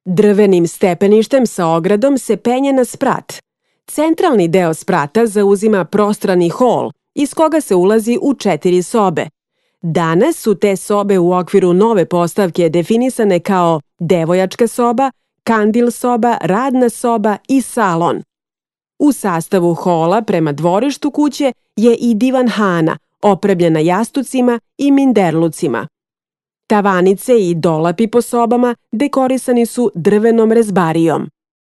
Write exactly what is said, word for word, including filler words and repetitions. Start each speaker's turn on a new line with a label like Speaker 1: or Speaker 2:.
Speaker 1: Drvenim stepeništem sa ogradom se penje na sprat. Centralni deo sprata zauzima prostrani hol, iz koga se ulazi u četiri sobe. Danas su te sobe u okviru nove postavke definisane kao devojačka soba, kandil soba, radna soba i salon. U sastavu hola prema dvorištu kuće je i divanhana, opremljena jastucima i minderlucima. Tavanice i dolapi po sobama dekorisani su drvenom rezbarijom.